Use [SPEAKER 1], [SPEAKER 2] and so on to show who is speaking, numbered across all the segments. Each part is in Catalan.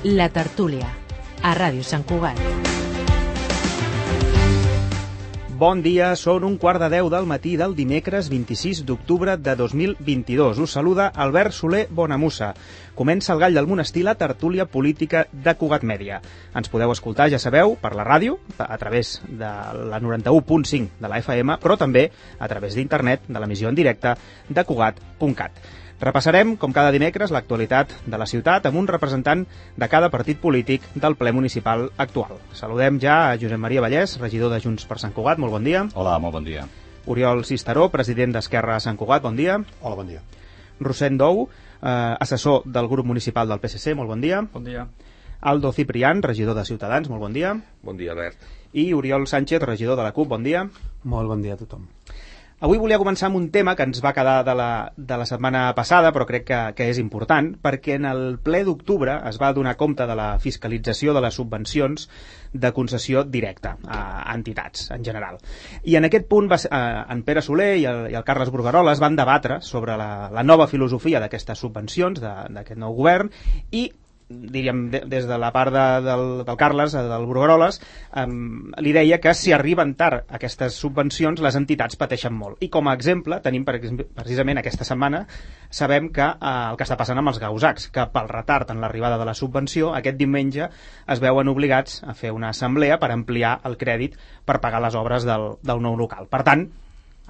[SPEAKER 1] La Tertúlia, a Ràdio Sant Cugat.
[SPEAKER 2] Bon dia, són 1:15 del matí del dimecres 26 d'octubre de 2022. Us saluda Albert Soler Bonamussa. Comença el Gall del Monestir, la tertúlia política de Cugat Mèdia. Ens podeu escoltar, ja sabeu, per la ràdio, a través de la 91.5 de la FM, però també a través d'internet, de l'emissió en directe de Cugat.cat. Repassarem, com cada dimecres, l'actualitat de la ciutat amb un representant de cada partit polític del ple municipal actual. Saludem ja a Josep Maria Vallès, regidor de Junts per Sant Cugat. Molt bon dia.
[SPEAKER 3] Hola, molt bon dia.
[SPEAKER 2] Oriol Cisteró, president d'Esquerra a Sant Cugat. Bon dia.
[SPEAKER 4] Hola, bon dia.
[SPEAKER 2] Rosent Dou, assessor del grup municipal del PSC. Molt bon dia.
[SPEAKER 5] Bon dia.
[SPEAKER 2] Aldo Ciprián, regidor de Ciutadans. Molt bon dia.
[SPEAKER 6] Bon dia, Albert.
[SPEAKER 2] I Oriol Sánchez, regidor de la CUP. Bon dia.
[SPEAKER 7] Molt bon dia a tothom.
[SPEAKER 2] Avui volia començar amb un tema que ens va quedar de la setmana passada, però crec que és important, perquè en el ple d'octubre es va donar compte de la fiscalització de les subvencions de concessió directa a entitats, en general. I en aquest punt en Pere Soler i el Carles Bruguerola es van debatre sobre la nova filosofia d'aquestes subvencions, d'aquest nou govern, i diríem, des de la part del Carles, del Brugueroles, li deia que si arriben tard aquestes subvencions, les entitats pateixen molt. I com a exemple, tenim precisament aquesta setmana, sabem que el que està passant amb els gausacs, que pel retard en l'arribada de la subvenció, aquest diumenge es veuen obligats a fer una assemblea per ampliar el crèdit per pagar les obres del nou local. Per tant,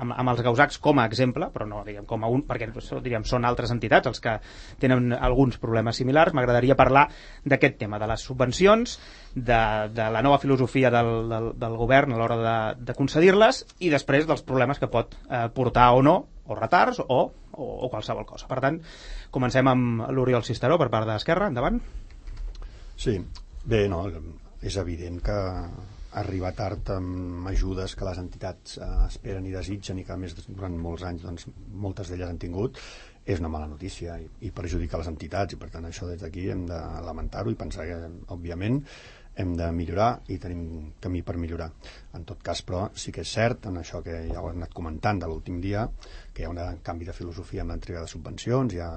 [SPEAKER 2] amb els gausacs com a exemple, però no diguem com a un, perquè diríem, són altres entitats els que tenen alguns problemes similars. M'agradaria parlar d'aquest tema, de les subvencions, de la nova filosofia del govern a l'hora de concedir-les i després dels problemes que pot portar o no, o retards o qualsevol cosa. Per tant, comencem amb l'Oriol Cisteró per part d'Esquerra. Endavant.
[SPEAKER 4] Sí, bé, no, és evident que arribar tard amb ajudes que les entitats esperen i desitgen i que a més durant molts anys doncs, moltes d'elles han tingut, és una mala notícia i perjudica les entitats, i per tant això des d'aquí hem de lamentar-ho i pensar que òbviament hem de millorar i tenim camí per millorar. En tot cas, però, sí que és cert, en això que ja ho hem anat comentant de l'últim dia, que hi ha un canvi de filosofia amb l'entrega de subvencions, hi ha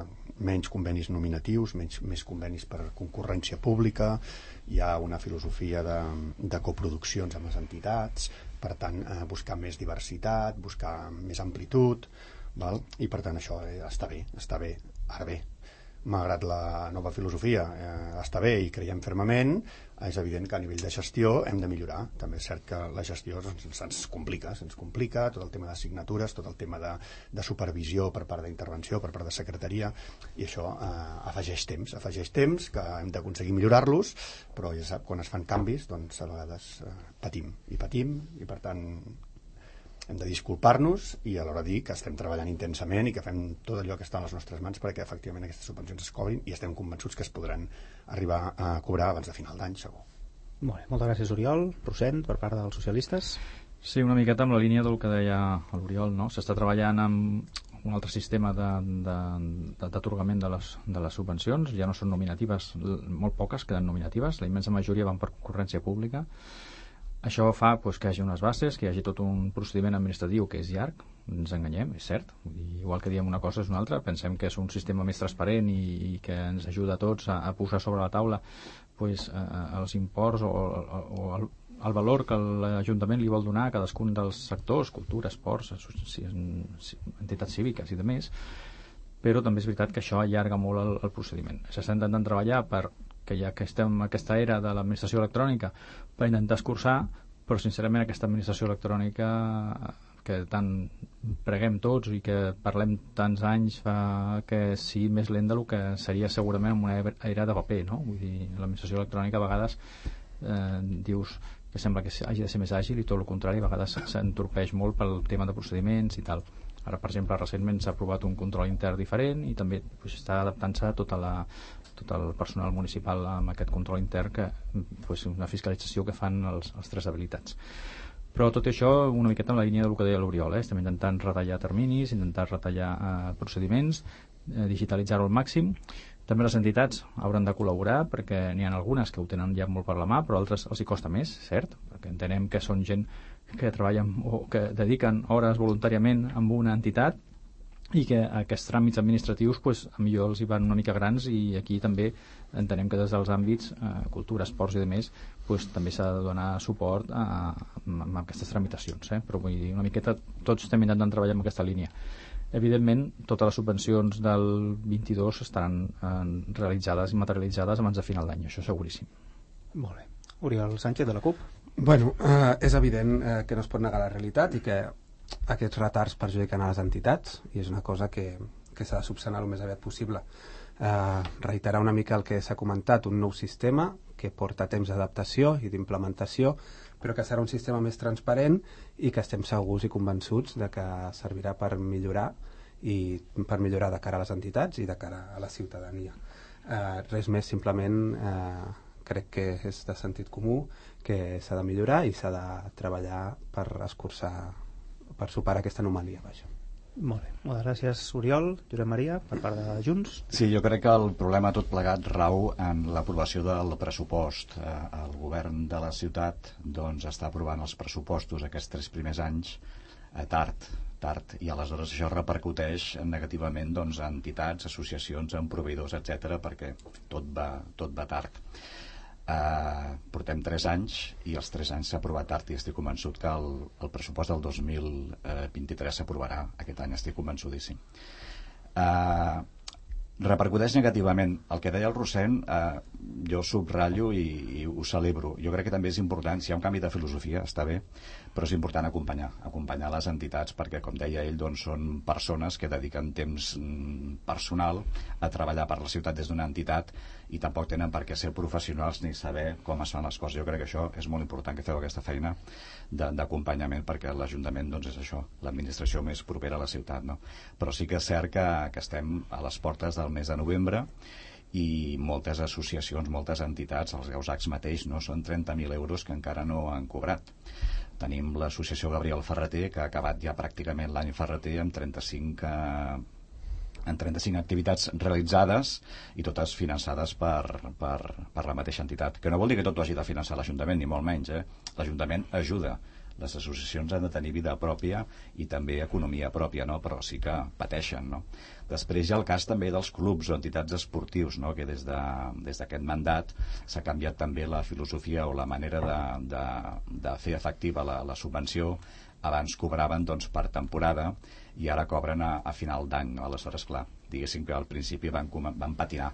[SPEAKER 4] menys convenis nominatius, més convenis per concurrència pública, hi ha una filosofia de coproduccions amb les entitats, per tant, buscar més diversitat, buscar més amplitud, val? I per tant això està bé. Ara bé, malgrat la nova filosofia està bé i creiem fermament, és evident que a nivell de gestió hem de millorar. També és cert que la gestió se'ns complica, tot el tema de signatures, tot el tema de supervisió per part d'intervenció, per part de secretaria, i això afegeix temps que hem d'aconseguir millorar-los, però ja sap, quan es fan canvis, doncs a vegades patim, i per tant hem de disculpar-nos i alhora dir que estem treballant intensament i que fem tot allò que està a les nostres mans perquè efectivament aquestes subvencions es cobrin i estem convençuts que es podran arribar a cobrar abans de final d'any, segur.
[SPEAKER 2] Molt bé, moltes gràcies, Oriol. Rosent, per part dels socialistes.
[SPEAKER 5] Sí, una miqueta amb la línia del que deia l'Oriol, no? S'està treballant amb un altre sistema d'atorgament de les subvencions, ja no són nominatives, molt poques queden nominatives, la immensa majoria van per concurrència pública. Això fa doncs, que hi hagi unes bases, que hi hagi tot un procediment administratiu que és llarg, ens enganyem, és cert. Igual que diem una cosa és una altra, pensem que és un sistema més transparent i que ens ajuda a tots a posar sobre la taula doncs, els imports o el valor que l'Ajuntament li vol donar a cadascun dels sectors, cultura, esports, entitats cíviques i demés, però també és veritat que això allarga molt el procediment. S'està intentant treballar que ja que estem en aquesta era de l'administració electrònica per intentar escurçar, però sincerament aquesta administració electrònica que tant preguem tots i que parlem tants anys fa que sigui més lent del que seria segurament en una era de paper, no? Vull dir, l'administració electrònica a vegades dius que sembla que hagi de ser més àgil i tot el contrari, a vegades s'entorpeix molt pel tema de procediments i tal. Ara, per exemple, recentment s'ha aprovat un control intern diferent i també està adaptant-se tot el personal municipal amb aquest control intern, que és una fiscalització que fan els tres habilitats. Però tot això una miqueta en la línia del que deia l'Oriol, estem intentant retallar terminis, intentar retallar procediments, digitalitzar-ho al màxim. També les entitats hauran de col·laborar perquè n'hi ha algunes que ho tenen ja molt per la mà, però altres els hi costa més, cert? Perquè entenem que són gent que treballen o que dediquen hores voluntàriament amb una entitat i que aquests tràmits administratius millor els hi van una mica grans, i aquí també entenem que des dels àmbits cultura, esports i demés també s'ha de donar suport a aquestes tramitacions, però vull dir, una miqueta tots estem intentant treballar en aquesta línia. Evidentment, totes les subvencions del 22 estaran realitzades i materialitzades abans de final d'any, això seguríssim.
[SPEAKER 2] Molt bé. Oriol Sánchez, de la CUP.
[SPEAKER 3] Bueno, és evident que no es pot negar la realitat i que aquests retards perjudiquen a les entitats, i és una cosa que s'ha de subsanar el més aviat possible. Reiterar una mica el que s'ha comentat, un nou sistema que porta temps d'adaptació i d'implementació, però que serà un sistema més transparent i que estem segurs i convençuts de que servirà per millorar, i per millorar de cara a les entitats i de cara a la ciutadania. Res més, simplement crec que és de sentit comú que s'ha de millorar i s'ha de treballar per escurçar, per superar aquesta anomalia.
[SPEAKER 2] Molt bé, moltes gràcies, Oriol. Josep Maria, per part de Junts.
[SPEAKER 6] Sí, jo crec que el problema tot plegat rau en l'aprovació del pressupost. El govern de la ciutat està aprovant els pressupostos aquests 3 primers anys tard, i aleshores això repercuteix negativament en entitats, associacions, en proveïdors, etc., perquè tot va tard. Portem 3 anys i els 3 anys s'ha aprovat tard, i estic convençut que el pressupost del 2023 s'aprovarà aquest any, estic convençudíssim. Repercuteix negativament. El que deia el Rossend, jo subratllo i ho celebro. Jo crec que també és important, si hi ha un canvi de filosofia està bé, però és important acompanyar les entitats, perquè, com deia ell, són persones que dediquen temps personal a treballar per la ciutat des d'una entitat, i tampoc tenen per què ser professionals ni saber com es fan les coses. Jo crec que això és molt important, que feu aquesta feina d'acompanyament, perquè l'Ajuntament és això, l'administració més propera a la ciutat, no? Però sí que és cert que estem a les portes del mes de novembre, i moltes associacions, moltes entitats, els Gausacs mateix, són 30.000 euros que encara no han cobrat. Tenim l'associació Gabriel Ferreter, que ha acabat ja pràcticament l'any Ferreter amb 35 activitats realitzades, i totes finançades per la mateixa entitat, que no vol dir que tot ho hagi de finançar l'Ajuntament, ni molt menys. L'Ajuntament ajuda, les associacions han de tenir vida pròpia i també economia pròpia, però sí que pateixen. Després hi ha el cas també dels clubs o entitats esportius, que des d'aquest mandat s'ha canviat també la filosofia o la manera de fer efectiva la subvenció. Abans cobraven per temporada i ara cobren a final d'any. Aleshores, clar, diguéssim que al principi van patinar,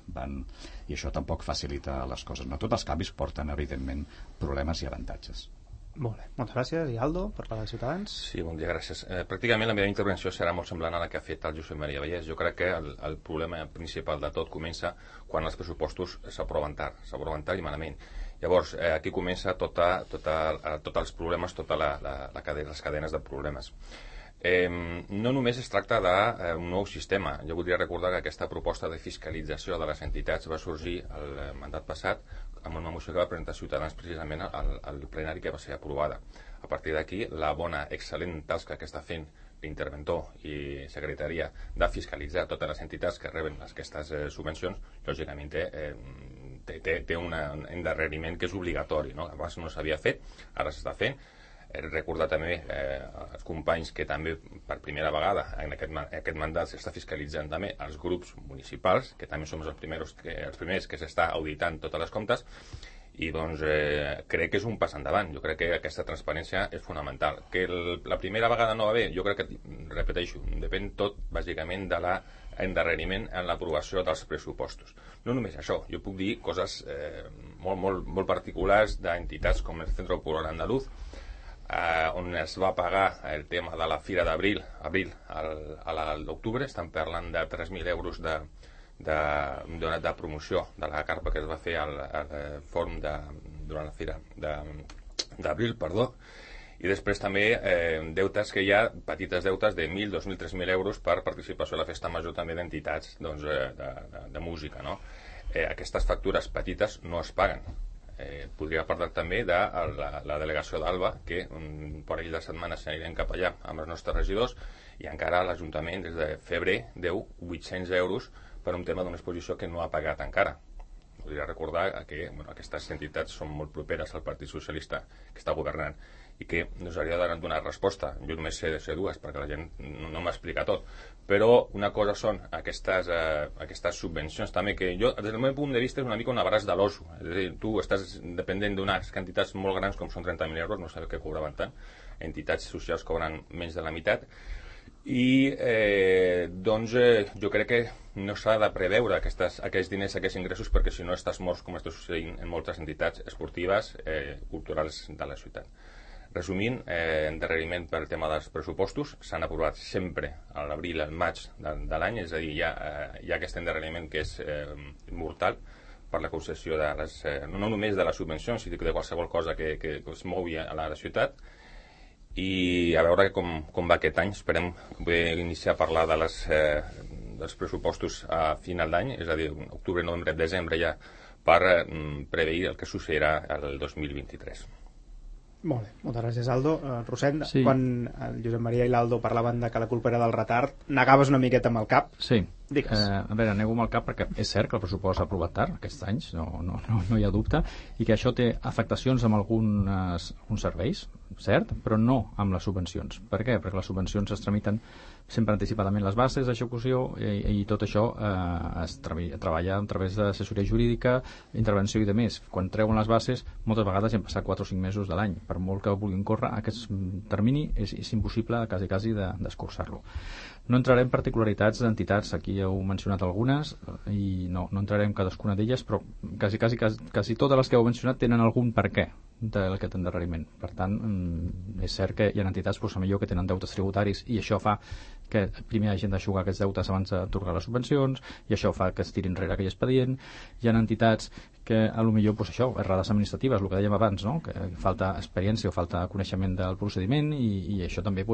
[SPEAKER 6] i això tampoc facilita les coses. Tots els canvis porten, evidentment, problemes i avantatges.
[SPEAKER 2] Molt bé, moltes gràcies. I Aldo, per part de Ciutadans?
[SPEAKER 7] Sí, bon dia, gràcies. Pràcticament la meva intervenció serà molt semblant a la que ha fet el Josep Maria Vallès. Jo crec que el problema principal de tot comença quan els pressupostos s'aproven tard i malament. Llavors, aquí comença tots els problemes, les cadenes de problemes. No només es tracta d'un nou sistema. Jo voldria recordar que aquesta proposta de fiscalització de les entitats va sorgir el mandat passat amb una moció que va presentar Ciutadans precisament al plenari, que va ser aprovada. A partir d'aquí, la bona, excel·lent tasca que està fent l'interventor i secretaria de fiscalitzar totes les entitats que reben aquestes subvencions, lògicament té un endarreriment que és obligatori, abans no s'havia fet, ara s'està fent. Recordar també als companys que també per primera vegada en aquest mandat s'està fiscalitzant també els grups municipals, que també som els primers que s'està auditant totes les comptes, i crec que és un pas endavant. Jo crec que aquesta transparència és fonamental. Que la primera vegada no va bé, jo crec que, repeteixo, depèn tot bàsicament de l'endarreriment en l'aprovació dels pressupostos. No només això, jo puc dir coses molt particulars d'entitats com el Centro Popular Andaluz, on es va pagar el tema de la Fira d'Abril a l'octubre. Estan parlant de 3.000 euros de promoció de la carpa que es va fer al fòrum durant la Fira d'Abril, i després també deutes que hi ha, petites deutes de 1.000, 2.000, 3.000 euros per participació a la festa major també d'entitats de música. Aquestes factures petites no es paguen. Podria parlar també de la delegació d'Alba, que un parell de setmanes anirem cap allà amb els nostres regidors, i encara l'Ajuntament des de febrer deu 800 euros per un tema d'una exposició que no ha pagat encara. voldria recordar que aquestes entitats són molt properes al Partit Socialista que està governant i que ens hauria de donar resposta. Jo només sé dues, perquè la gent no m'explica tot. Però una cosa són aquestes subvencions també, que jo, des del meu punt de vista, és una mica un abraç de l'oso. És a dir, tu estàs dependent d'unes quantitats molt grans, com són 30.000 euros, no sabeu què cobraven tant, entitats socials cobren menys de la meitat, i jo crec que no s'ha de preveure aquests diners, aquests ingressos, perquè si no estàs morts, com està succeint en moltes entitats esportives, culturals de la ciutat. Resumint, endarreriment pel tema dels pressupostos, s'han aprovat sempre a l'abril, al maig de l'any, és a dir, hi ha aquest endarreriment que és mortal per la concessió de no només de les subvencions, sinó de qualsevol cosa que es mogui a la ciutat. I a veure com va aquest any. Esperem poder iniciar a parlar dels pressupostos a final d'any, és a dir, octubre, novembre, desembre ja, per preveir el que succeirà el 2023.
[SPEAKER 2] Molt bé, moltes gràcies, Aldo. Rosent,
[SPEAKER 5] sí.
[SPEAKER 2] Quan el Josep Maria i l'Aldo parlaven de que la culpa era del retard, negaves una miqueta amb el cap.
[SPEAKER 5] Sí.
[SPEAKER 2] Digues.
[SPEAKER 5] A veure, nego amb el cap perquè és cert que el pressupost s'ha aprovat tard aquests anys, no hi ha dubte, i que això té afectacions amb alguns serveis, cert, però no amb les subvencions. Per què? Perquè les subvencions es tramiten sempre anticipadament les bases d'execució i tot això es treballa a través d'assessoria jurídica, intervenció i de més. Quan treuen les bases, moltes vegades han passat 4 o 5 mesos de l'any. Per molt que vulguin córrer, aquest termini és impossible quasi d'escurçar-lo. No entrarem en particularitats d'entitats, aquí heu mencionat algunes i no entrarem en cadascuna d'elles, però quasi totes les que heu mencionat tenen algun per què d'aquest endarreriment. Per tant, és cert que hi ha entitats millor que tenen deutes tributaris i això fa que primer hagin d'aixugar aquests deutes abans d'atorgar les subvencions i això fa que es tiri enrere aquell expedient. Hi ha entitats que potser errades administratives, el que dèiem abans, no? Que falta experiència o falta coneixement del procediment i això també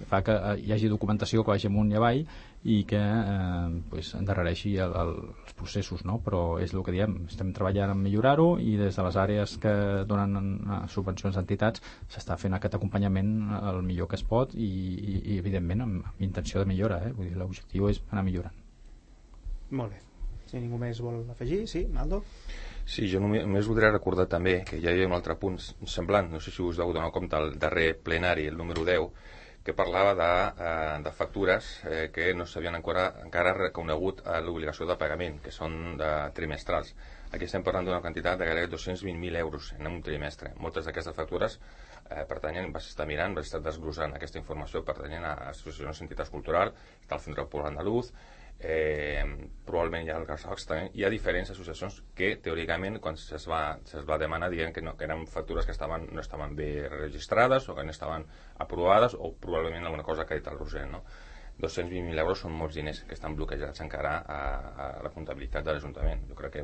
[SPEAKER 5] fa que hi hagi documentació que vagi amunt i avall i que endarrereixi els processos, no? Però és el que diem, estem treballant en millorar-ho i des de les àrees que donen subvencions d'entitats s'està fent aquest acompanyament el millor que es pot i evidentment amb intenció de millora, vull dir, l'objectiu és anar millorant.
[SPEAKER 2] Molt bé. Si ningú més vol afegir, sí, Aldo?
[SPEAKER 7] Sí, jo només voldria recordar també que hi havia un altre punt semblant, no sé si us heu donat compte, el darrer plenari, el número 10, que parlava de factures que no s'havien encara reconegut a l'obligació de pagament, que són trimestrals. Aquí estem parlant d'una quantitat de gairebé 220.000 euros en un trimestre. Moltes d'aquestes factures vas estar mirant, vas estar desglossant aquesta informació, pertanyen a associacions d'entitats culturals, al Centre Poble Andaluz, probablement hi ha el Garsaox també. Hi ha diferents associacions que teòricament quan es va demanar diuen que eren factures que no estaven bé registrades o que no estaven aprovades o probablement alguna cosa que ha dit el Roser, no? 220.000 euros són molts diners que estan bloquejats encara a la comptabilitat de l'Ajuntament. Jo crec que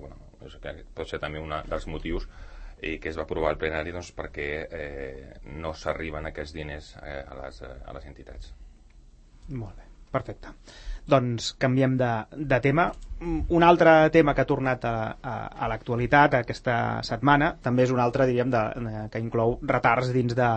[SPEAKER 7] pot ser també un dels motius que es va aprovar al plenari perquè no s'arriben aquests diners a les entitats.
[SPEAKER 2] Molt bé, perfecte. Doncs canviem de tema. Un altre tema que ha tornat a l'actualitat aquesta setmana també és un altre, diríem, que inclou retards dins de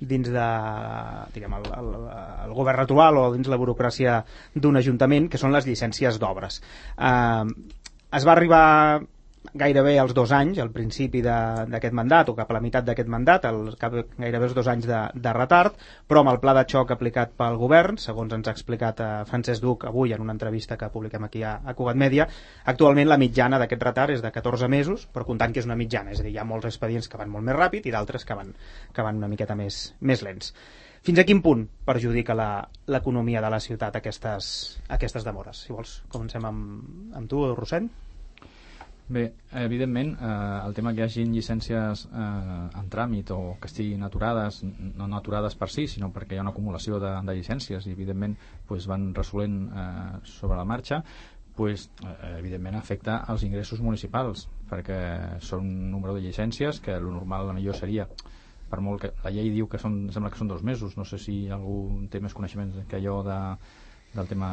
[SPEAKER 2] diguem, el govern actual o dins la burocràcia d'un ajuntament, que són les llicències d'obres. Es va arribar gairebé als 2 anys, al principi d'aquest mandat, o cap a la meitat d'aquest mandat, gairebé els 2 anys de retard, però amb el pla de xoc aplicat pel govern, segons ens ha explicat Francesc Duc avui en una entrevista que publiquem aquí a Cugat Mèdia, actualment la mitjana d'aquest retard és de 14 mesos, però comptant que és una mitjana, és a dir, hi ha molts expedients que van molt més ràpid i d'altres que van una miqueta més lents. Fins a quin punt perjudica l'economia de la ciutat aquestes demores? Si vols, comencem amb tu, Rosent.
[SPEAKER 5] Bé, evidentment, el tema que hi hagi llicències en tràmit o que estiguin aturades, no aturades per si, sinó perquè hi ha una acumulació de llicències i evidentment van resolent sobre la marxa, evidentment afecta els ingressos municipals, perquè són un número de llicències que el normal millor seria, per molt que la llei diu que sembla que són 2 mesos, no sé si algú té més coneixements que allò del tema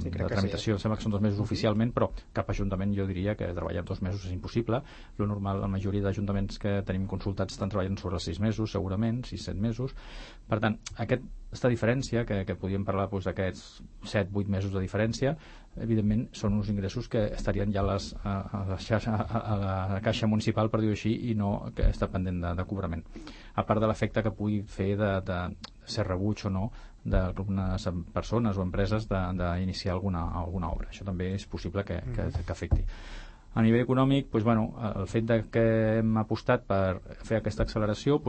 [SPEAKER 5] de tramitació. Sembla que són 2 mesos oficialment, però cap ajuntament jo diria que treballar 2 mesos és impossible. Lo normal, la majoria d'ajuntaments que tenim consultats estan treballant sobre els 6 mesos, segurament, 6-7 mesos. Per tant, aquesta diferència, que podríem parlar d'aquests 7-8 mesos de diferència, evidentment són uns ingressos que estarien ja a la caixa municipal, per dir-ho així, i no que està pendent de cobrament. A part de l'efecte que pugui fer de ser rebuig o no d'algunes persones o empreses d'iniciar alguna obra. Això també és possible que afecti. A nivell econòmic, el fet que hem apostat per fer aquesta acceleració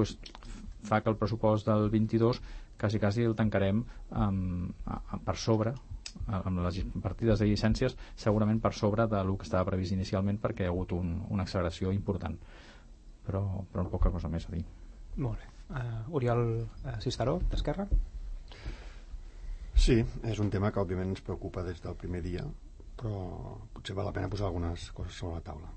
[SPEAKER 5] fa que el pressupost del 22 quasi el tancarem per sobre, amb les partides de llicències, segurament per sobre del que estava previst inicialment, perquè hi ha hagut una acceleració important. Però poca cosa més a dir.
[SPEAKER 2] Molt bé. Oriol Cisteró, d'Esquerra?
[SPEAKER 4] Sí, és un tema que òbviament ens preocupa des del primer dia, però potser val la pena posar algunes coses sobre la taula. De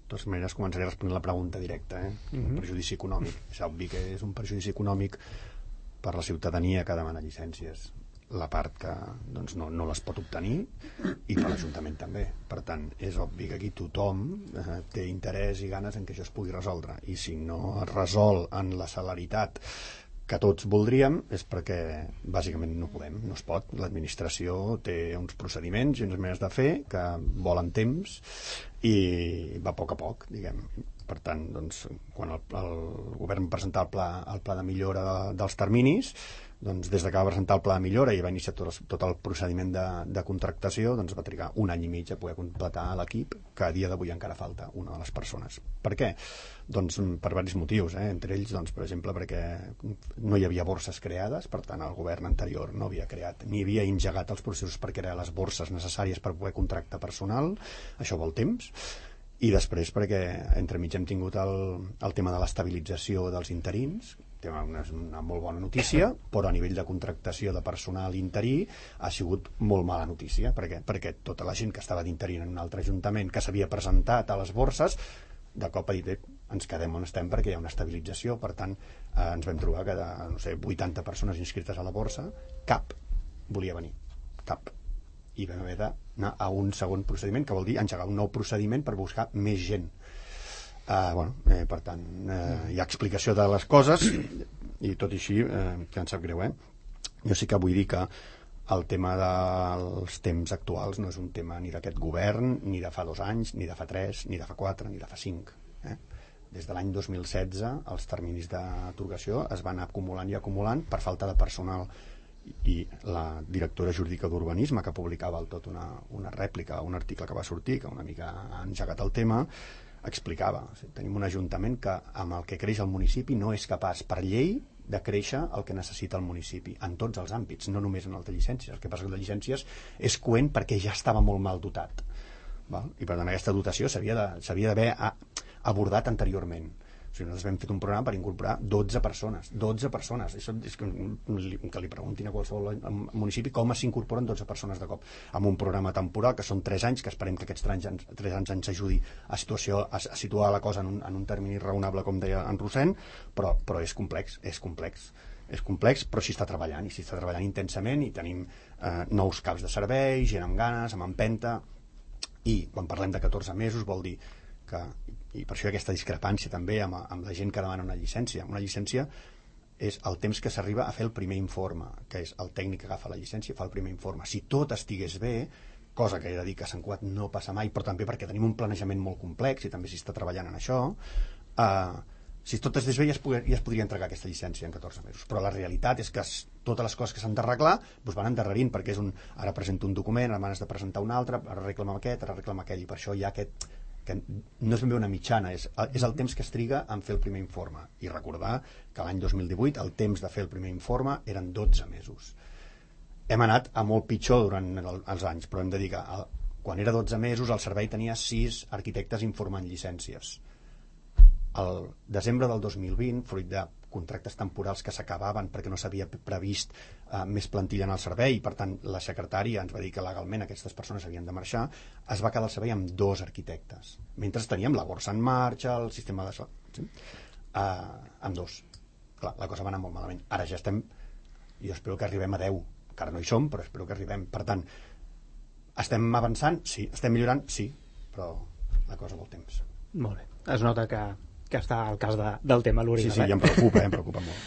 [SPEAKER 4] totes maneres, començaré a respondre la pregunta directa. El perjudici econòmic. És obvi que és un perjudici econòmic per la ciutadania que demana llicències, la part que no les pot obtenir, i per l'Ajuntament també. Per tant, és obvi que aquí tothom té interès i ganes en que això es pugui resoldre, i si no es resol en la celeritat que tots voldríem és perquè bàsicament no podem, no es pot. L'administració té uns procediments i unes maneres de fer que volen temps i va a poc, diguem. Per tant, quan el govern va presentar el pla de millora dels terminis, des de que va presentar el pla de millora i va iniciar tot el procediment de contractació, va trigar 1 any i mig a poder completar l'equip, que a dia d'avui encara falta una de les persones. Per què? Per diversos motius, entre ells, per exemple, perquè no hi havia borses creades, per tant el govern anterior no havia creat ni havia engegat els processos per crear les borses necessàries per poder contractar personal. Això vol temps. I després perquè entremig hem tingut el tema de l'estabilització dels interins, és una molt bona notícia, però a nivell de contractació de personal interí ha sigut molt mala notícia. Per què? Perquè tota la gent que estava d'interí en un altre ajuntament que s'havia presentat a les borses, de cop ha dit ens quedem on estem perquè hi ha una estabilització. Per tant, ens vam trobar que de 80 persones inscrites a la borsa, cap volia venir, cap. I vam haver d'anar a un segon procediment, que vol dir engegar un nou procediment per buscar més gent. Per tant, hi ha explicació de les coses, i tot i així, que em sap greu, jo sí que vull dir que el tema dels temps actuals no és un tema ni d'aquest govern, ni de fa 2 anys, ni de fa 3, ni de fa 4, ni de fa 5. Des de l'any 2016 els terminis d'atorgació es van acumulant i acumulant per falta de personal, i la directora jurídica d'Urbanisme, que publicava tot una rèplica, un article que va sortir, que una mica ha engegat el tema, explicava, tenim un ajuntament que amb el que creix el municipi no és capaç per llei de créixer el que necessita el municipi en tots els àmbits, no només en el de llicències. El que passa que el de llicències és coent perquè ja estava molt mal dotat, i per tant aquesta dotació s'havia d'haver abordat anteriorment. Nosaltres vam fer un programa per incorporar 12 persones. Això és que li preguntin a qualsevol municipi com s'incorporen 12 persones de cop amb un programa temporal, que són 3 anys, que esperem que aquests 3 anys ens ajudi a situar la cosa en un termini raonable, com deia en Rossend, però és complex, però s'hi està treballant, i s'hi està treballant intensament, i tenim nous caps de servei, gent amb ganes, amb empenta, i quan parlem de 14 mesos vol dir que, i per això hi ha aquesta discrepància també amb la gent que demana una llicència. Una llicència és el temps que s'arriba a fer el primer informe, que és el tècnic que agafa la llicència i fa el primer informe. Si tot estigués bé, cosa que he de dir que a Sant Cugat no passa mai, però també perquè tenim un planejament molt complex i també s'hi està treballant en això, si tot estigués bé ja es podria entregar aquesta llicència en 14 mesos. Però la realitat és que totes les coses que s'han d'arreglar van endarrerint, perquè ara presento un document, ara m'has de presentar un altre, ara reclama aquest, ara reclama aquell, i per això hi ha aquest que no és ben bé una mitjana, és el temps que es triga en fer el primer informe. I recordar que l'any 2018 el temps de fer el primer informe eren 12 mesos. Hem anat a molt pitjor durant els anys, però hem de dir que quan era 12 mesos el servei tenia 6 arquitectes informant llicències. Al desembre del 2020, fruit de contractes temporals que s'acabaven perquè no s'havia previst més plantilla en el servei, i per tant la secretària ens va dir que legalment aquestes persones havien de marxar, es va quedar el servei amb 2 arquitectes, mentre teníem la borsa en marxa, el sistema de... amb 2. Clar, la cosa va anar molt malament. Ara ja estem, jo espero que arribem a 10, encara no hi som, però espero que arribem. Per tant, estem avançant? Sí. Estem millorant? Sí, però la cosa vol temps.
[SPEAKER 2] Molt bé. Es nota que està al cas del tema, l'Oriol.
[SPEAKER 4] Sí, ja em preocupa molt.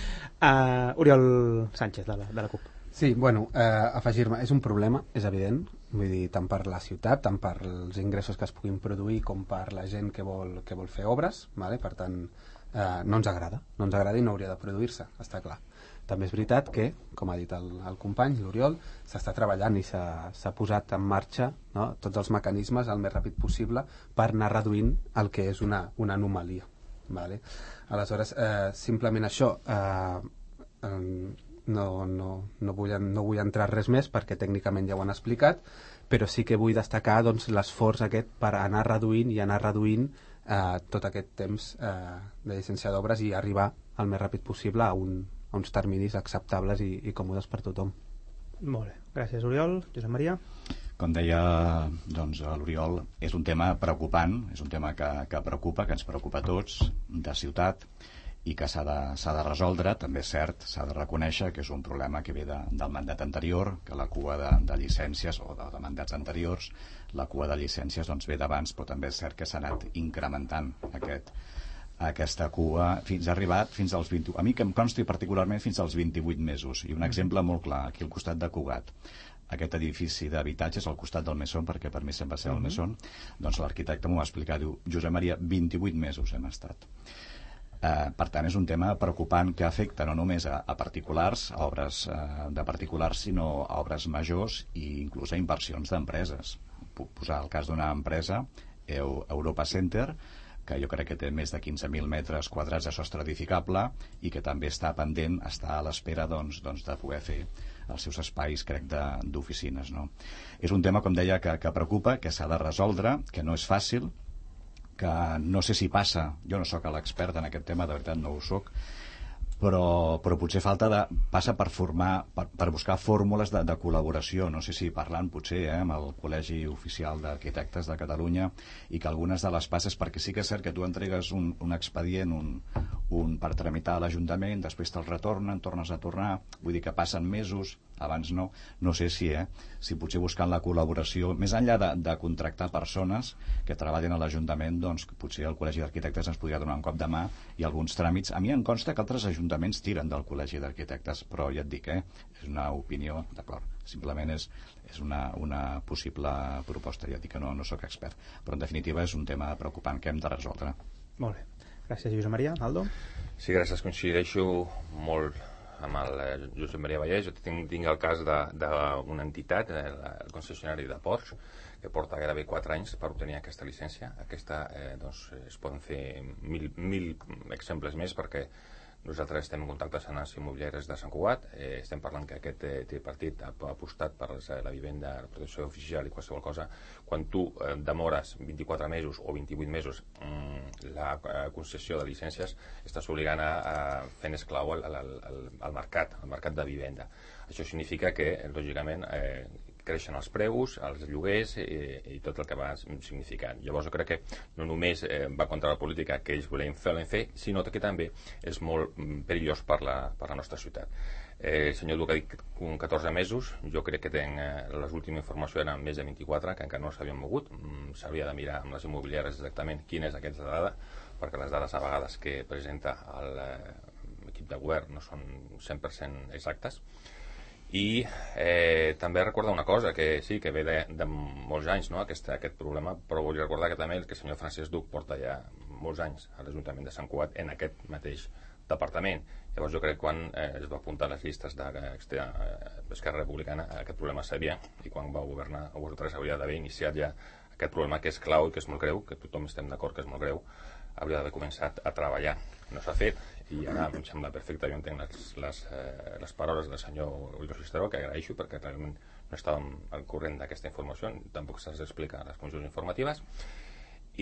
[SPEAKER 2] Oriol Sánchez, de la CUP.
[SPEAKER 3] Sí, bueno, afegir-me, és un problema, és evident, vull dir, tant per la ciutat, tant per els ingressos que es puguin produir com per la gent que vol fer obres, vale? Per tant, no ens agrada i no hauria de produir-se, està clar. També és veritat que, com ha dit el company, l'Oriol, s'està treballant i s'ha posat en marxa, no, tots els mecanismes el més ràpid possible per anar reduint el que és una anomalia. Vale? Aleshores, simplement això, no vull entrar res més perquè tècnicament ja ho han explicat, però sí que vull destacar doncs, l'esforç aquest per anar reduint tot aquest temps de llicència d'obres i arribar el més ràpid possible a uns terminis acceptables i còmodes per tothom.
[SPEAKER 2] Molt bé, gràcies Oriol. Josep Maria?
[SPEAKER 6] Com deia doncs, l'Oriol, és un tema preocupant, és un tema que preocupa, que ens preocupa a tots, de ciutat, i que s'ha de resoldre. També és cert, s'ha de reconèixer que és un problema que ve del mandat anterior, que la cua de llicències, o de mandats anteriors, la cua de llicències doncs, ve d'abans, però també és cert que s'ha anat incrementant aquesta cua fins als 20, a mi que em consti particularment fins als 28 mesos. I un exemple molt clar, aquí al costat de Cugat, aquest edifici d'habitatges al costat del Mesón, perquè per mi sempre va ser el Mesón, doncs l'arquitecte m'ho va explicar, diu, Josep Maria, 28 mesos hem estat. Per tant, és un tema preocupant que afecta no només a particulars, a obres de particulars, sinó a obres majors i inclús a inversions d'empreses. Puc posar el cas d'una empresa, Europa Center, que jo crec que té més de 15.000 metres quadrats de sostre edificable i que també està pendent, està a l'espera doncs, de poder fer els seus espais, crec, d'oficines. No? És un tema, com deia, que preocupa, que s'ha de resoldre, que no és fàcil, que no sé si passa, jo no sóc l'expert en aquest tema, de veritat no ho sóc, però potser passa per buscar fórmules de col·laboració, no sé si parlant potser amb el Col·legi Oficial d'Arquitectes de Catalunya, i que algunes de les passes, perquè sí que és cert que tu entregues un expedient per tramitar a l'Ajuntament, després te'l retornen, tornes a tornar, vull dir que passen mesos, abans no sé si potser buscant la col·laboració, més enllà de contractar persones que treballen a l'Ajuntament, doncs potser el Col·legi d'Arquitectes ens podria donar un cop de mà i alguns tràmits. A mi em consta que altres ajuntaments tiren del Col·legi d'Arquitectes, però ja et dic, és una opinió, d'acord, simplement és una possible proposta, ja et dic que no sóc expert, però en definitiva és un tema preocupant que hem de resoldre.
[SPEAKER 2] Molt bé, gràcies Josep Maria. Aldo?
[SPEAKER 7] Sí, gràcies, coincideixo molt amb el Josep Maria Vallès. Jo tinc el cas d'una entitat, el concessionari de Porsche, que porta gairebé 4 anys per obtenir aquesta llicència. Doncs, es poden fer mil exemples més, perquè nosaltres estem en contacte amb les immobiliàries de Sant Cugat. Estem parlant que aquest tripartit ha apostat per la vivenda, la protecció oficial i qualsevol cosa. Quan tu demores 24 mesos o 28 mesos la concessió de llicències, estàs obligant a fer esclau al mercat de vivenda. Això significa que, lògicament, creixen els preus, els lloguers i tot el que va significant. Llavors jo crec que no només va contra la política que ells volien fer, sinó que també és molt perillós per la nostra ciutat. El senyor Duc ha dit 14 mesos, jo crec que l'última informació eren més de 24, que encara no s'havien mogut. S'hauria de mirar amb les immobiliàries exactament quina és aquesta dada, perquè les dades a vegades que presenta l'equip de govern no són 100% exactes. I també recordar una cosa, que sí, que ve de molts anys, no, aquest problema, però vull recordar que també el senyor Francesc Duc porta ja molts anys a l'Ajuntament de Sant Cugat en aquest mateix departament. Llavors jo crec que quan es va apuntar a les llistes d'Esquerra Republicana aquest problema s'havia, i quan va governar vosaltres hauria d'haver iniciat ja aquest problema, que és clau i que és molt greu, que tothom estem d'acord que és molt greu, hauria d'haver començat a treballar. No s'ha fet, i ara em sembla perfecte. Jo entenc les paraules del senyor Ullo Cisteró, que agraeixo, perquè realment no estàvem al corrent d'aquesta informació, tampoc se'ls explica a les comissions informatives,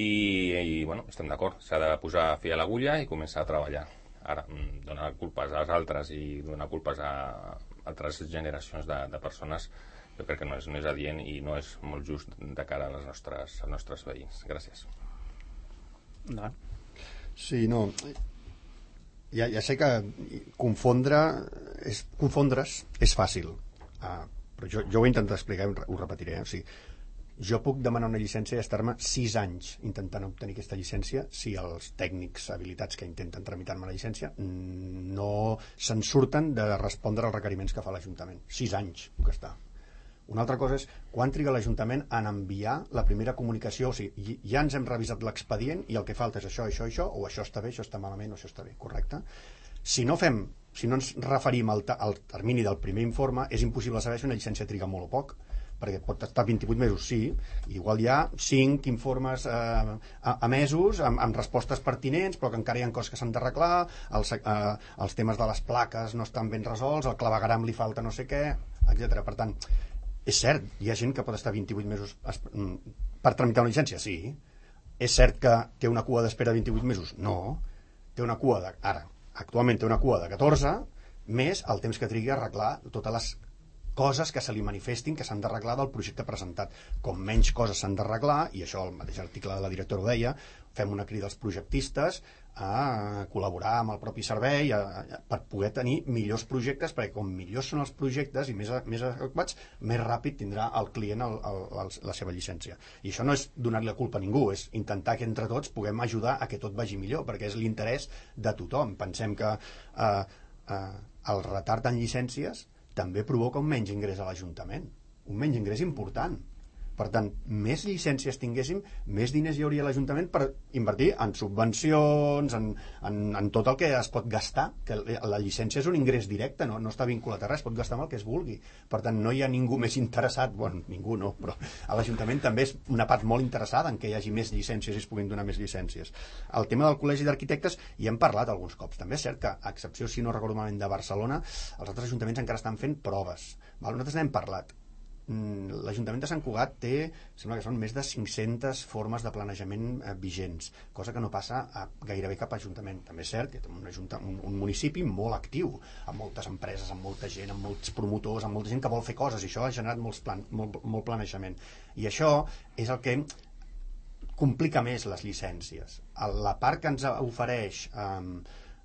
[SPEAKER 7] i bueno, estem d'acord, s'ha de posar fi a l'agulla i començar a treballar. Ara, donar culpes als altres i donar culpes a altres generacions de persones, jo crec que no és adient i no és molt just de cara als nostres veïns. Gràcies.
[SPEAKER 2] No.
[SPEAKER 4] Sí, no, ja sé que confondre's és fàcil. però jo ho he intentat explicar i ho repetiré. O sigui, jo puc demanar una llicència i estar-me 6 anys intentant obtenir aquesta llicència si els tècnics habilitats que intenten tramitar-me la llicència no se'n surten de respondre als requeriments que fa l'Ajuntament. 6 anys puc estar. Una altra cosa és quan triga l'Ajuntament en enviar la primera comunicació, o sigui, ja ens hem revisat l'expedient i el que falta és això, o això està bé, això està malament, o això està bé, correcte? Si no ens referim al termini del primer informe, és impossible saber si una llicència triga molt o poc, perquè pot estar 28 mesos, sí, igual hi ha 5 informes emesos amb respostes pertinents, però que encara hi ha coses que s'han d'arreglar, els temes de les plaques no estan ben resolts, el clavegueram li falta no sé què, etc. Per tant, és cert, hi ha gent que pot estar 28 mesos per tramitar una llicència, sí. És cert que té una cua d'espera de 28 mesos? No. Té una cua actualment té una cua de 14, més el temps que trigui a arreglar totes les coses que se li manifestin que s'han d'arreglar del projecte presentat. Com menys coses s'han d'arreglar, i això el mateix article de la directora ho deia, fem una crida als projectistes a col·laborar amb el propi servei per poder tenir millors projectes, perquè com millors són els projectes i més adequats, més ràpid tindrà el client la seva llicència. I això no és donar-li la culpa a ningú, és intentar que entre tots puguem ajudar a que tot vagi millor, perquè és l'interès de tothom. Pensem que el retard en llicències també provoca un menys ingrés a l'Ajuntament, un menys ingrés important. Per tant, més llicències tinguéssim, més diners hi hauria a l'Ajuntament per invertir en subvencions, en tot el que es pot gastar, que la llicència és un ingrés directe, no està vinculat a res, pot gastar amb el que es vulgui. Per tant, no hi ha ningú més interessat, bueno, ningú no, però a l'Ajuntament també és una part molt interessada en que hi hagi més llicències i es puguin donar més llicències. El tema del Col·legi d'Arquitectes hi hem parlat alguns cops. També és cert que, a excepció, si no recordo malament, de Barcelona, els altres ajuntaments encara estan fent proves. Nosaltres n'hem parlat. L'Ajuntament de Sant Cugat té, sembla que són més de 500 formes de planejament vigents, cosa que no passa a gairebé cap ajuntament. També és cert que té un municipi molt actiu, amb moltes empreses, amb molta gent, amb molts promotors, amb molta gent que vol fer coses, i això ha generat molt planejament. I això és el que complica més les llicències. La part que ens ofereix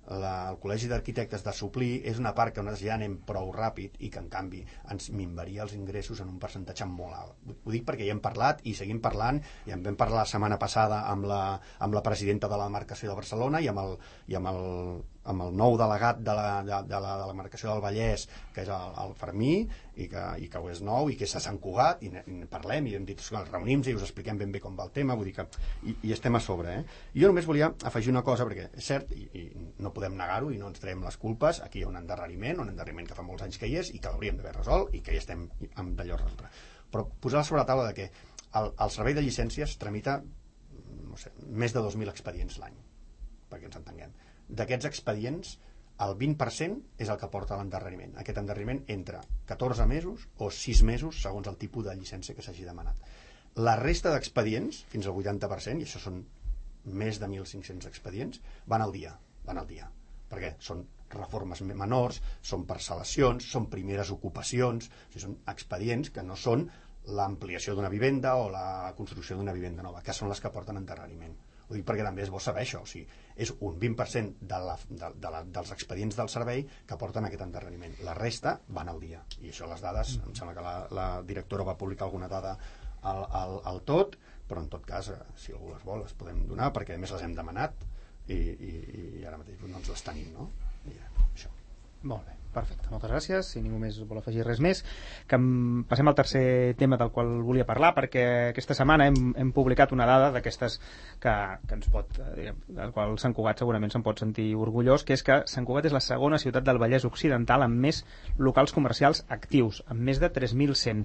[SPEAKER 4] el Col·legi d'Arquitectes de suplir és una part que nosaltres ja anem prou ràpid i que en canvi ens minvaria els ingressos en un percentatge molt alt. Ho dic perquè hi hem parlat i seguim parlant, i en vam parlar la setmana passada amb la presidenta de la demarcació de Barcelona i amb el nou delegat de la demarcació del Vallès, que és el Fermí, i que ho és nou, i que és a Sant Cugat, i parlem, i hem dit, reunim-nos i us expliquem ben bé com va el tema, vull dir que i estem a sobre. Jo només volia afegir una cosa, perquè és cert, i no podem negar-ho, i no ens traiem les culpes, aquí hi ha un endarreriment que fa molts anys que hi és, i que l'hauríem d'haver resolt, i que hi estem amb d'allò resoldre. Però posar sobre la taula de que el servei de llicències tramita, no sé, més de 2.000 expedients l'any, perquè ens entenguem. D'aquests expedients, el 20% és el que porta l'endarreriment. Aquest endarreriment entre 14 mesos o 6 mesos, segons el tipus de llicència que s'hagi demanat. La resta d'expedients, fins al 80%, i això són més de 1.500 expedients, van al dia, perquè són reformes menors, són parcel·lacions, són primeres ocupacions, o sigui, són expedients que no són l'ampliació d'una vivenda o la construcció d'una vivenda nova, que són les que porten endarreriment. Ho dic perquè també és bo saber això, o sigui, és un 20% dels expedients del servei que porten aquest endarreriment. La resta van al dia, i això les dades, em sembla que la directora va publicar alguna dada al tot, però en tot cas, si algú les vol, les podem donar, perquè a més les hem demanat i ara mateix no ens les tenim, no? I això.
[SPEAKER 2] Molt bé, perfecte, moltes gràcies. Si ningú més vol afegir res més, que passem al tercer tema del qual volia parlar, perquè aquesta setmana hem publicat una dada d'aquestes que ens pot, del qual Sant Cugat segurament se'n pot sentir orgullós, que és que Sant Cugat és la segona ciutat del Vallès Occidental amb més locals comercials actius, amb més de 3.100.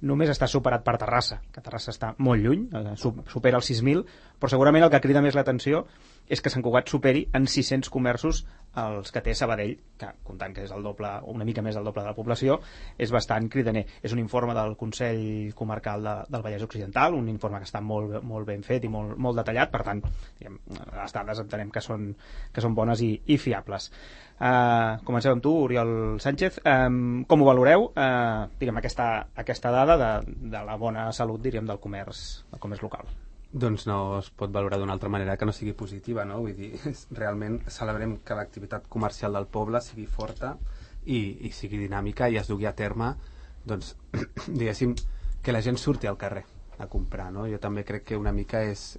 [SPEAKER 2] Només està superat per Terrassa, que Terrassa està molt lluny, supera els 6.000, però segurament el que crida més l'atenció és que Sant Cugat superi en 600 comerços els que té Sabadell, que comptant que és el doble, una mica més del doble de la població, és bastant cridaner. És un informe del Consell Comarcal del Vallès Occidental, un informe que està molt ben fet i molt detallat, per tant, les dades entenem que són bones i fiables. Comencem amb tu, Oriol Sánchez. Com ho valoreu, aquesta dada de la bona salut, del comerç local?
[SPEAKER 3] Doncs no es pot valorar d'una altra manera que no sigui positiva, no? Vull dir, realment celebrem que l'activitat comercial del poble sigui forta i sigui dinàmica i es dugui a terme doncs, diguéssim, que la gent surti al carrer a comprar, no? Jo també crec que una mica és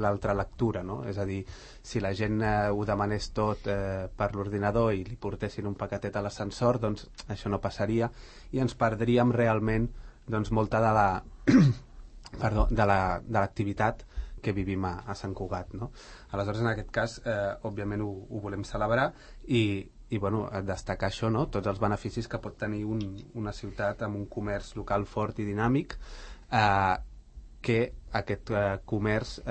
[SPEAKER 3] l'altra lectura, no? És a dir, si la gent ho demanés tot per l'ordinador i li portessin un paquetet a l'ascensor, doncs això no passaria i ens perdríem realment doncs, molta de la de l'activitat que vivim a Sant Cugat, no? Aleshores, en aquest cas, òbviament ho volem celebrar i bueno, destacar això, no? Tots els beneficis que pot tenir una ciutat amb un comerç local fort i dinàmic, que aquest comerç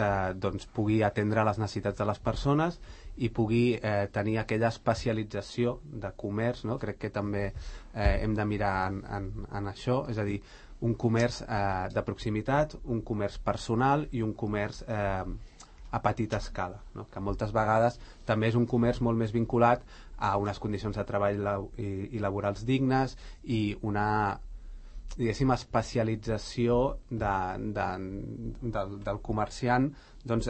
[SPEAKER 3] doncs, pugui atendre les necessitats de les persones i pugui tenir aquella especialització de comerç, no? Crec que també hem de mirar en això, és a dir, un comerç de proximitat, un comerç personal i un comerç a petita escala, no? Que moltes vegades també és un comerç molt més vinculat a unes condicions de treball i laborals dignes i una, diguéssim, especialització del comerciant doncs,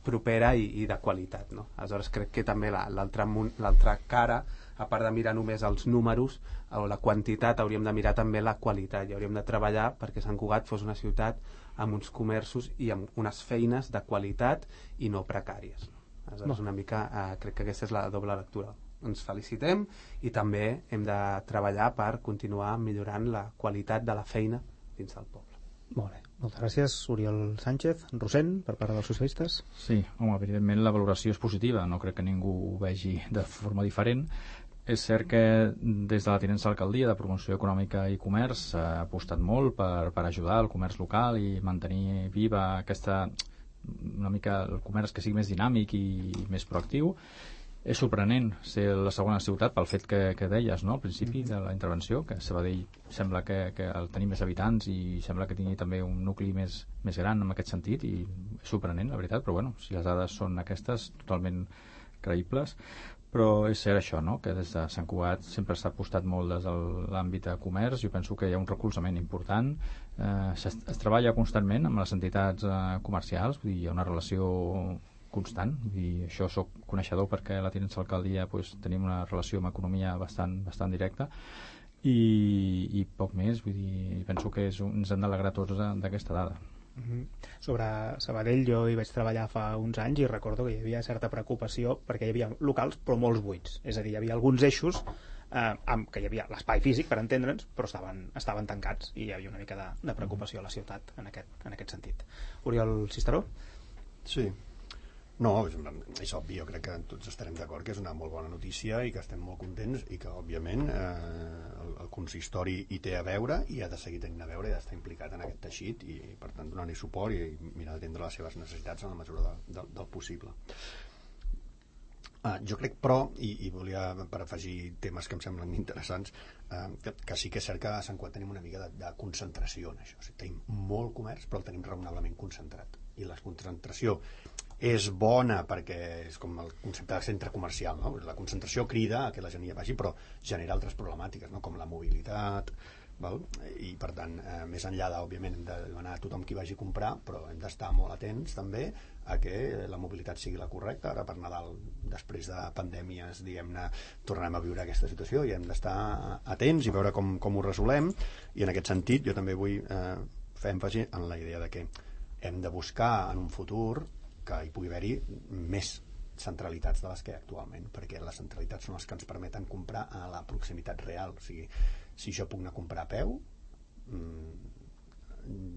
[SPEAKER 3] propera i de qualitat, no? Aleshores crec que també l'altra cara, a part de mirar només els números o la quantitat, hauríem de mirar també la qualitat i hauríem de treballar perquè Sant Cugat fos una ciutat amb uns comerços i amb unes feines de qualitat i no precàries, no? Aleshores una mica crec que aquesta és la doble lectura. Ens felicitem i també hem de treballar per continuar millorant la qualitat de la feina dins del poble.
[SPEAKER 2] Molt bé, moltes gràcies, Oriol Sánchez. Rosent, per part dels socialistes.
[SPEAKER 5] Sí, home, evidentment la valoració és positiva, no crec que ningú ho vegi de forma diferent. És cert que des de la tinença d'alcaldia de promoció econòmica i comerç s'ha apostat molt per ajudar el comerç local i mantenir viva una mica el comerç que sigui més dinàmic i més proactiu. És sorprenent ser la segona ciutat pel fet que deies, no?, al principi de la intervenció, que Sabadell sembla que el tenir més habitants i sembla que tingui també un nucli més gran en aquest sentit, i és sorprenent, la veritat, però bueno, si les dades són aquestes, totalment creïbles. Però és cert això, no?, que des de Sant Cugat sempre s'ha apostat molt des de l'àmbit de comerç. Jo penso que hi ha un recolzament important, es treballa constantment amb les entitats comercials, vull dir, hi ha una relació constant, i això soc coneixedor perquè a la tinença d'alcaldia pues, tenim una relació amb economia bastant directa i poc més, vull dir, penso que ens hem d'alegrar tots d'aquesta dada.
[SPEAKER 2] Sobre Sabadell jo hi vaig treballar fa uns anys i recordo que hi havia certa preocupació perquè hi havia locals però molts buits, és a dir, hi havia alguns eixos que hi havia l'espai físic per entendre'ns però estaven tancats i hi havia una mica de preocupació a la ciutat en aquest sentit. Oriol Cisteró?
[SPEAKER 4] Sí. No, és obvi, jo crec que tots estarem d'acord que és una molt bona notícia i que estem molt contents i que òbviament el consistori hi té a veure i ha de seguir tenint a veure i ha d'estar implicat en aquest teixit i per tant donar-hi suport i mirar d'atendre les seves necessitats en la mesura del possible. Jo crec però, i volia per afegir temes que em semblen interessants, que sí que és cert que a Sant Cugat tenim una mica de concentració en això, o sigui, tenim molt comerç però el tenim raonablement concentrat i la concentració és bona perquè és com el concepte de centre comercial, no? La concentració crida a que la gent hi vagi però genera altres problemàtiques, no? Com la mobilitat, val? I per tant més enllà òbviament hem de demanar a tothom qui vagi a comprar, però hem d'estar molt atents també a que la mobilitat sigui la correcta. Ara per Nadal, després de pandèmies, diguem-ne, tornarem a viure aquesta situació i hem d'estar atents i veure com ho resolem, i en aquest sentit jo també vull fer èmfasi en la idea de que hem de buscar en un futur que hi pugui haver-hi més centralitats de les que hi ha actualment, perquè les centralitats són les que ens permeten comprar a la proximitat real. O sigui, si jo puc anar a comprar a peu,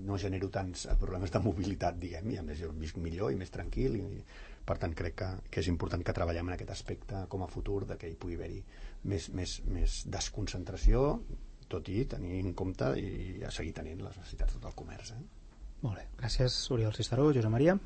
[SPEAKER 4] no genero tants problemes de mobilitat, diguem, i a més jo visc millor i més tranquil, i per tant crec que és important que treballem en aquest aspecte com a futur, de que hi pugui haver-hi més desconcentració, tot i tenir en compte i a seguir tenint les necessitats del comerç.
[SPEAKER 2] Molt bé, gràcies Oriol Cisteró. Josep Maria?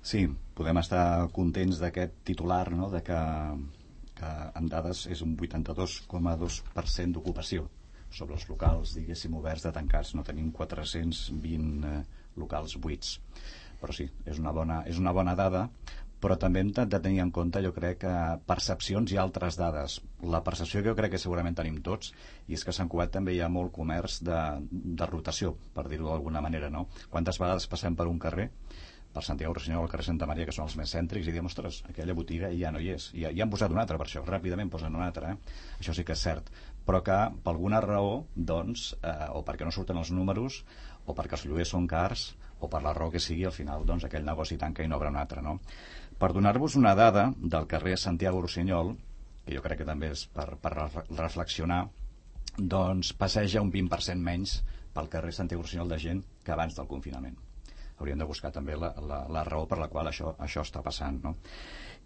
[SPEAKER 6] Sí, podem estar contents d'aquest titular, no?, de que en dades és un 82,2% d'ocupació sobre els locals, diguéssim, oberts de tancats. No tenim 420 locals buits. Però sí, és una bona dada, però també hem de tenir en compte, jo crec, percepcions i altres dades. La percepció que jo crec que segurament tenim tots, i és que a Sant Cugat també hi ha molt comerç de rotació, per dir-ho d'alguna manera, no? Quantes vegades passem per un carrer per Santiago Rossinyol al carrer Santa Maria, que són els més cèntrics, i diem, ostres, aquella botiga ja no hi és, i han posat una altra per això, ràpidament posen una altra, això sí que és cert, però que per alguna raó, doncs, o perquè no surten els números, o perquè els lloguers són cars, o per la raó que sigui, al final doncs, aquell negoci tanca i no obre un altre, no? Per donar-vos una dada del carrer Santiago Rossinyol, que jo crec que també és per reflexionar, doncs passeja un 20% menys pel carrer Santiago Rossinyol de gent que abans del confinament. Hauríem de buscar també la raó per la qual això està passant, no?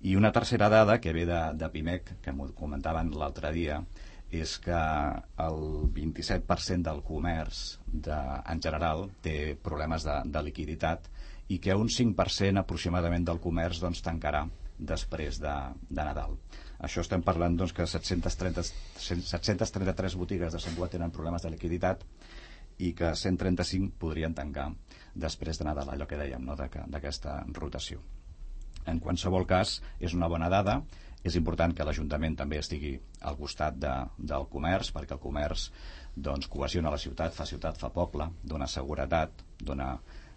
[SPEAKER 6] I una tercera dada que ve de PIMEC, que m'ho comentaven l'altre dia, és que el 27% del comerç en general té problemes de liquiditat i que un 5% aproximadament del comerç doncs, tancarà després de Nadal. Això estem parlant doncs, que 733 botigues de Sant Cugat tenen problemes de liquiditat i que 135 podrien tancar després de Nadal, allò que dèiem, no? d'aquesta rotació. En qualsevol cas, és una bona dada. És important que l'Ajuntament també estigui al costat del comerç, perquè el comerç doncs, cohesiona la ciutat, fa poble, dona seguretat,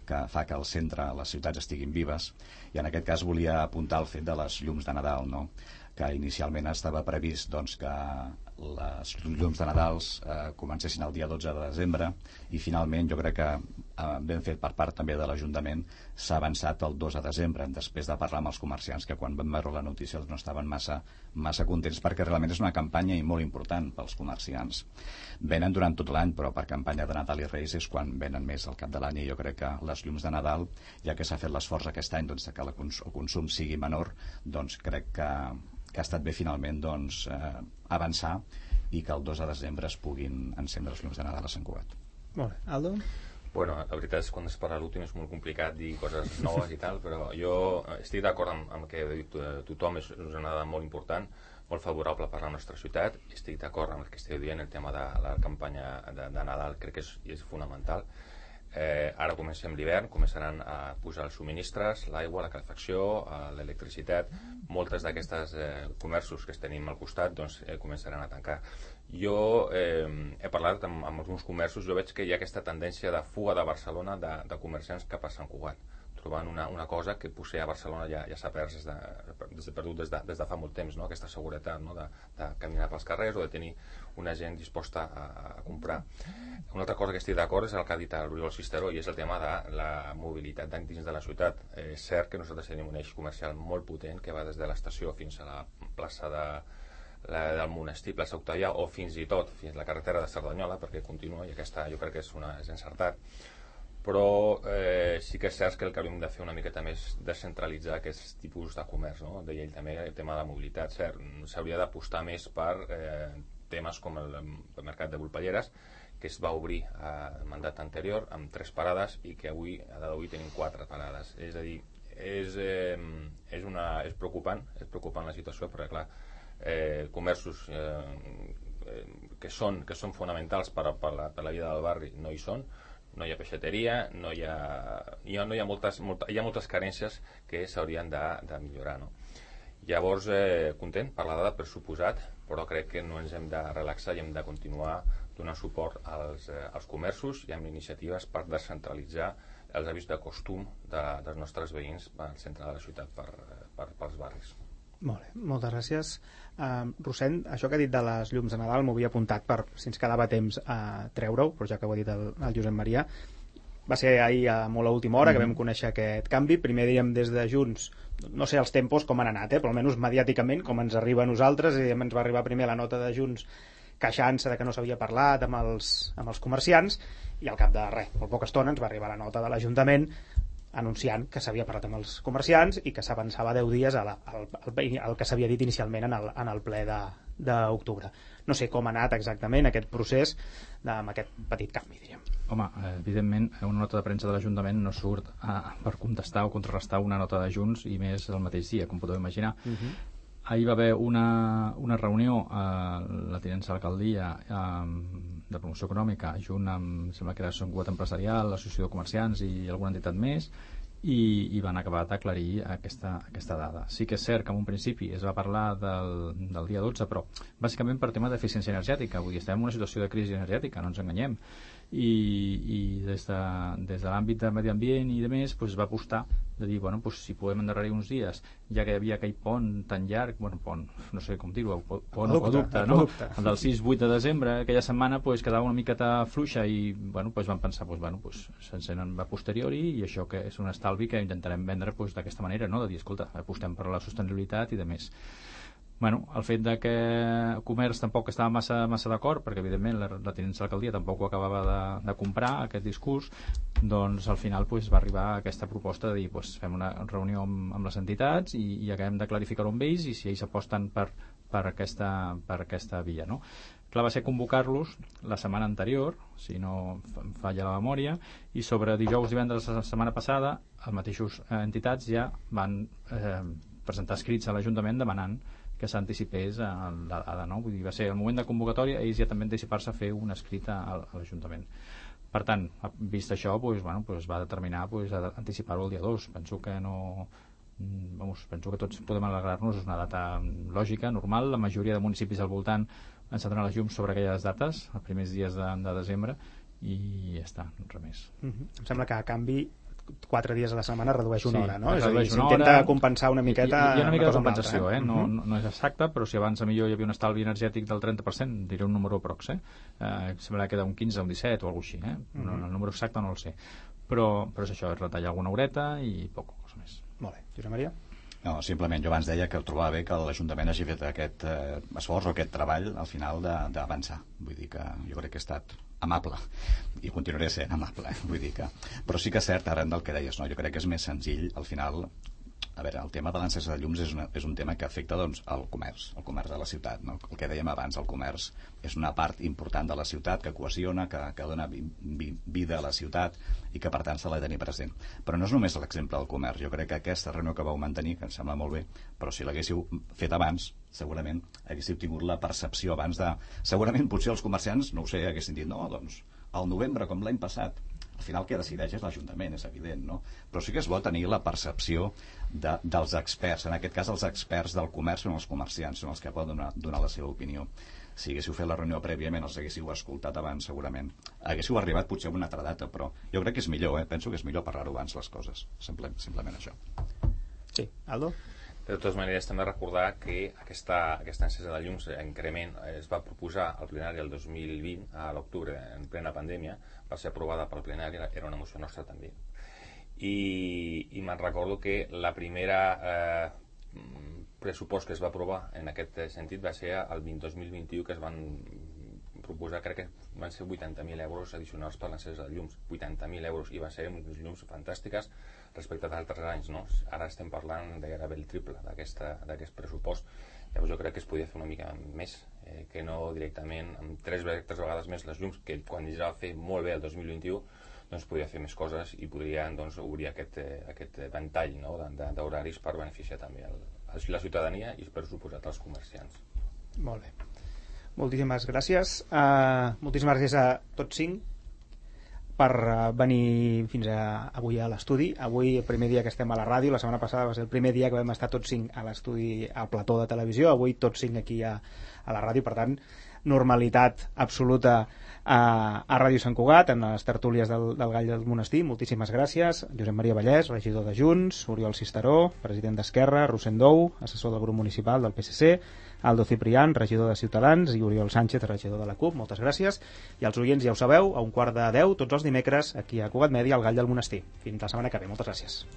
[SPEAKER 6] que fa que al centre les ciutats estiguin vives, i en aquest cas volia apuntar el fet de les llums de Nadal, no? Que inicialment estava previst doncs, que les llums de Nadal comencessin el dia 12 de desembre i finalment jo crec que ben fet per part també de l'Ajuntament s'ha avançat el 2 de desembre després de parlar amb els comerciants que quan van veure la notícia no estaven massa contents perquè realment és una campanya i molt important pels comerciants. Venen durant tot l'any però per campanya de Nadal i Reis és quan venen més al cap de l'any i jo crec que les llums de Nadal, ja que s'ha fet l'esforç aquest any doncs, que el consum sigui menor, doncs crec que ha estat bé finalment doncs, avançar i que el 2 de desembre es puguin encendre les llums de Nadal a Sant Cugat.
[SPEAKER 2] Molt bé. Aldo?
[SPEAKER 7] Bueno, la veritat és que quan es parla l'últim és molt complicat dir coses noves i tal, però jo estic d'acord amb que tothom és una dada molt important, molt favorable per a la nostra ciutat, estic d'acord amb el que esteu dient, el tema de la campanya de Nadal crec que és fonamental. Ara comencem l'hivern, començaran a posar els subministres, l'aigua, la calefacció, l'electricitat, moltes d'aquestes comerços que tenim al costat doncs, començaran a tancar. Jo he parlat amb alguns comerços, jo veig que hi ha aquesta tendència de fuga de Barcelona de comerciants cap a Sant Cugat, trobant una cosa que potser a Barcelona ja s'ha perdut des de fa molt temps, no? Aquesta seguretat, no? de caminar pels carrers o de tenir una gent disposta a comprar. Una altra cosa que estic d'acord és el que ha dit l'Oriol Cisteró i és el tema de la mobilitat dins de la ciutat. És cert que nosaltres tenim un eix comercial molt potent que va des de l'estació fins a la plaça del Monestir, plaça Octavià, o fins i tot fins a la carretera de Cerdanyola, perquè continua i aquesta jo crec que és encertat. Però sí que és cert que el que hauríem de fer una miqueta més descentralitzar aquests tipus de comerç, no? Deia ell també el tema de la mobilitat, cert, s'hauria d'apostar més per temes com el mercat de Volpelleres, que es va obrir al mandat anterior amb 3 parades i que avui, a data d'avui, tenim 4 parades. És a dir, és preocupant la situació, perquè clar, comerços que són fonamentals per la vida del barri no hi són, no hi ha peixateria, hi ha moltes carències que s'haurien de millorar, no? Llavors, content per la dada, per suposat, però crec que no ens hem de relaxar i hem de continuar donant suport als comerços i amb iniciatives per descentralitzar els hàbits de costum dels nostres veïns al centre de la ciutat pels barris.
[SPEAKER 2] Molt bé, moltes gràcies. Rossend, això que ha dit de les llums de Nadal m'ho havia apuntat per si ens quedava temps a treure-ho, però ja que ho ha dit el Josep Maria, va ser ahir molt a última hora que vam conèixer aquest canvi. Primer dèiem des de Junts, no sé els tempos com han anat, però almenys mediàticament com ens arriba a nosaltres, i ens va arribar primer la nota de Junts queixant-se de que no s'havia parlat amb els comerciants, i al cap de molt poca estona ens va arribar la nota de l'Ajuntament anunciant que s'havia parlat amb els comerciants i que s'avançava 10 dies al que s'havia dit inicialment en el ple d'octubre. No sé com ha anat exactament aquest procés amb aquest petit canvi, diríem.
[SPEAKER 5] Home, evidentment, una nota de premsa de l'Ajuntament no surt per contestar o contrarrestar una nota de Junts, i més el mateix dia, com podeu imaginar. Ahir va haver una reunió a la tinença d'alcaldia de promoció econòmica, junt amb, sembla que era Sant Cugat Empresarial, l'Associació de Comerciants i alguna entitat més, i van acabar d'aclarir aquesta dada. Sí que és cert que en un principi es va parlar del dia 12, però bàsicament per tema d'eficiència energètica. Vull dir, estem en una situació de crisi energètica, no ens enganyem, i des de l'àmbit de medi ambient i de més, pues, va apostar de dir, bueno, pues, si podem endarrerir uns dies, ja que hi havia aquell pont tan llarg, pont, no sé com dir-ho, pont o aqueducte, no? El del 6-8 de desembre, aquella setmana pues, quedava una miqueta fluixa i bueno, pues, vam pensar, s'encenen a posteriori i això que és un estalvi que intentarem vendre pues, d'aquesta manera, no? De dir, escolta, apostem per la sostenibilitat i de més. Bueno, el fet de que el comerç tampoc estava massa d'acord, perquè evidentment la tinença de l'alcaldia tampoc ho acabava de comprar, aquest discurs, doncs al final pues, va arribar a aquesta proposta de dir fem una reunió amb les entitats i acabem de clarificar-ho amb ells i si ells aposten per aquesta via, no? Clar, va ser convocar-los la setmana anterior, si no em falla la memòria, i sobre dijous, divendres de la setmana passada, les mateixes entitats ja van presentar escrits a l'Ajuntament demanant que s'anticipés a la data, no? Vull dir, va ser el moment de convocatòria, ells ja també anticipar-se a fer un escrit a l'Ajuntament. Per tant, vist això, es va determinar anticipar-ho el dia 2. Penso que penso que tots podem alegrar-nos, és una data lògica, normal, la majoria de municipis al voltant encendran les llums sobre aquelles dates, els primers dies de desembre, i ja està, res més.
[SPEAKER 2] Em sembla que a canvi 4 dies a la setmana redueix una hora, no?
[SPEAKER 5] És
[SPEAKER 2] a dir, s'intenta compensar una miqueta
[SPEAKER 5] hi ha una mica de
[SPEAKER 2] compensació,
[SPEAKER 5] no és exacte, però si abans millor hi havia un estalvi energètic del 30%, diré un número prox, sembla que queda un 15 o un 17 o alguna cosa així, el número exacte no el sé, però és això, és retallar alguna horeta i poca cosa més.
[SPEAKER 2] Molt bé, Josep Maria?
[SPEAKER 6] No, simplement, jo abans deia que trobava bé que l'Ajuntament hagi fet aquest esforç o aquest treball al final d'avançar. Vull dir que jo crec que ha estat amable i continuaré sent amable, vull dir que... Però sí que és cert, arran del que deies, no? Jo crec que és més senzill, al final... A veure, el tema de l'encesa de llums és un tema que afecta doncs, el comerç de la ciutat, no? El que dèiem abans, el comerç és una part important de la ciutat que cohesiona, que dona vida a la ciutat i que per tant s'ha de tenir present. Però no és només l'exemple del comerç, jo crec que aquesta reunió que vau mantenir, que em sembla molt bé, però si l'haguéssiu fet abans, segurament haguéssiu tingut la percepció abans de... Segurament potser els comerciants, no ho sé, haguessin dit, no, doncs, al novembre, com l'any passat. Al final qui decideix és l'Ajuntament, és evident, no? Però sí que és bo tenir la percepció dels experts. En aquest cas, els experts del comerç són els comerciants, són els que poden donar la seva opinió. Si haguéssiu fet la reunió prèviament, els haguéssiu escoltat abans, segurament. Haguéssiu arribat potser a una altra data, però jo crec que és millor, penso que és millor parlar-ho abans les coses. Simplement això.
[SPEAKER 2] Sí, Aldo?
[SPEAKER 7] De totes maneres, també recordar que aquesta encesa de llums increment es va proposar al plenari el 2020, a l'octubre, en plena pandèmia, va ser aprovada pel plenari, era una moció nostra també. I me'n recordo que la primera pressupost que es va aprovar en aquest sentit va ser el 2021, que es van proposar, crec que van ser 80.000 euros addicionals per l'encesa de llums, 80.000 euros, i va ser unes llums fantàstiques respecte a d'altres anys, no? Ara estem parlant de gairebé el triple d'aquest pressupost. Llavors jo crec que es podia fer una mica més, que no directament amb 3 vegades més les llums, que quan ja va fer molt bé el 2021, doncs podria fer més coses i podrien doncs, obrir aquest ventall, no? d'horaris per beneficiar també la ciutadania i per suposat els comerciants.
[SPEAKER 2] Molt bé. Moltíssimes gràcies. Moltíssimes gràcies a tots 5 per venir fins avui a l'estudi. Avui, el primer dia que estem a la ràdio, la setmana passada va ser el primer dia que vam estar tots 5 a l'estudi, al plató de televisió, avui tots 5 aquí a la ràdio, per tant, normalitat absoluta a Ràdio Sant Cugat, en les tertúlies del Gall del Monestir. Moltíssimes gràcies. Josep Maria Vallès, regidor de Junts, Oriol Cisteró, president d'Esquerra, Rossend Dou, assessor del grup municipal del PSC, Aldo Ciprián, regidor de Ciutadans, i Oriol Sánchez, regidor de la CUP. Moltes gràcies. I als oients ja ho sabeu, a 11:45, tots els dimecres, aquí a Cugat Mèdia, al Gall del Monestir. Fins la setmana que ve. Moltes gràcies.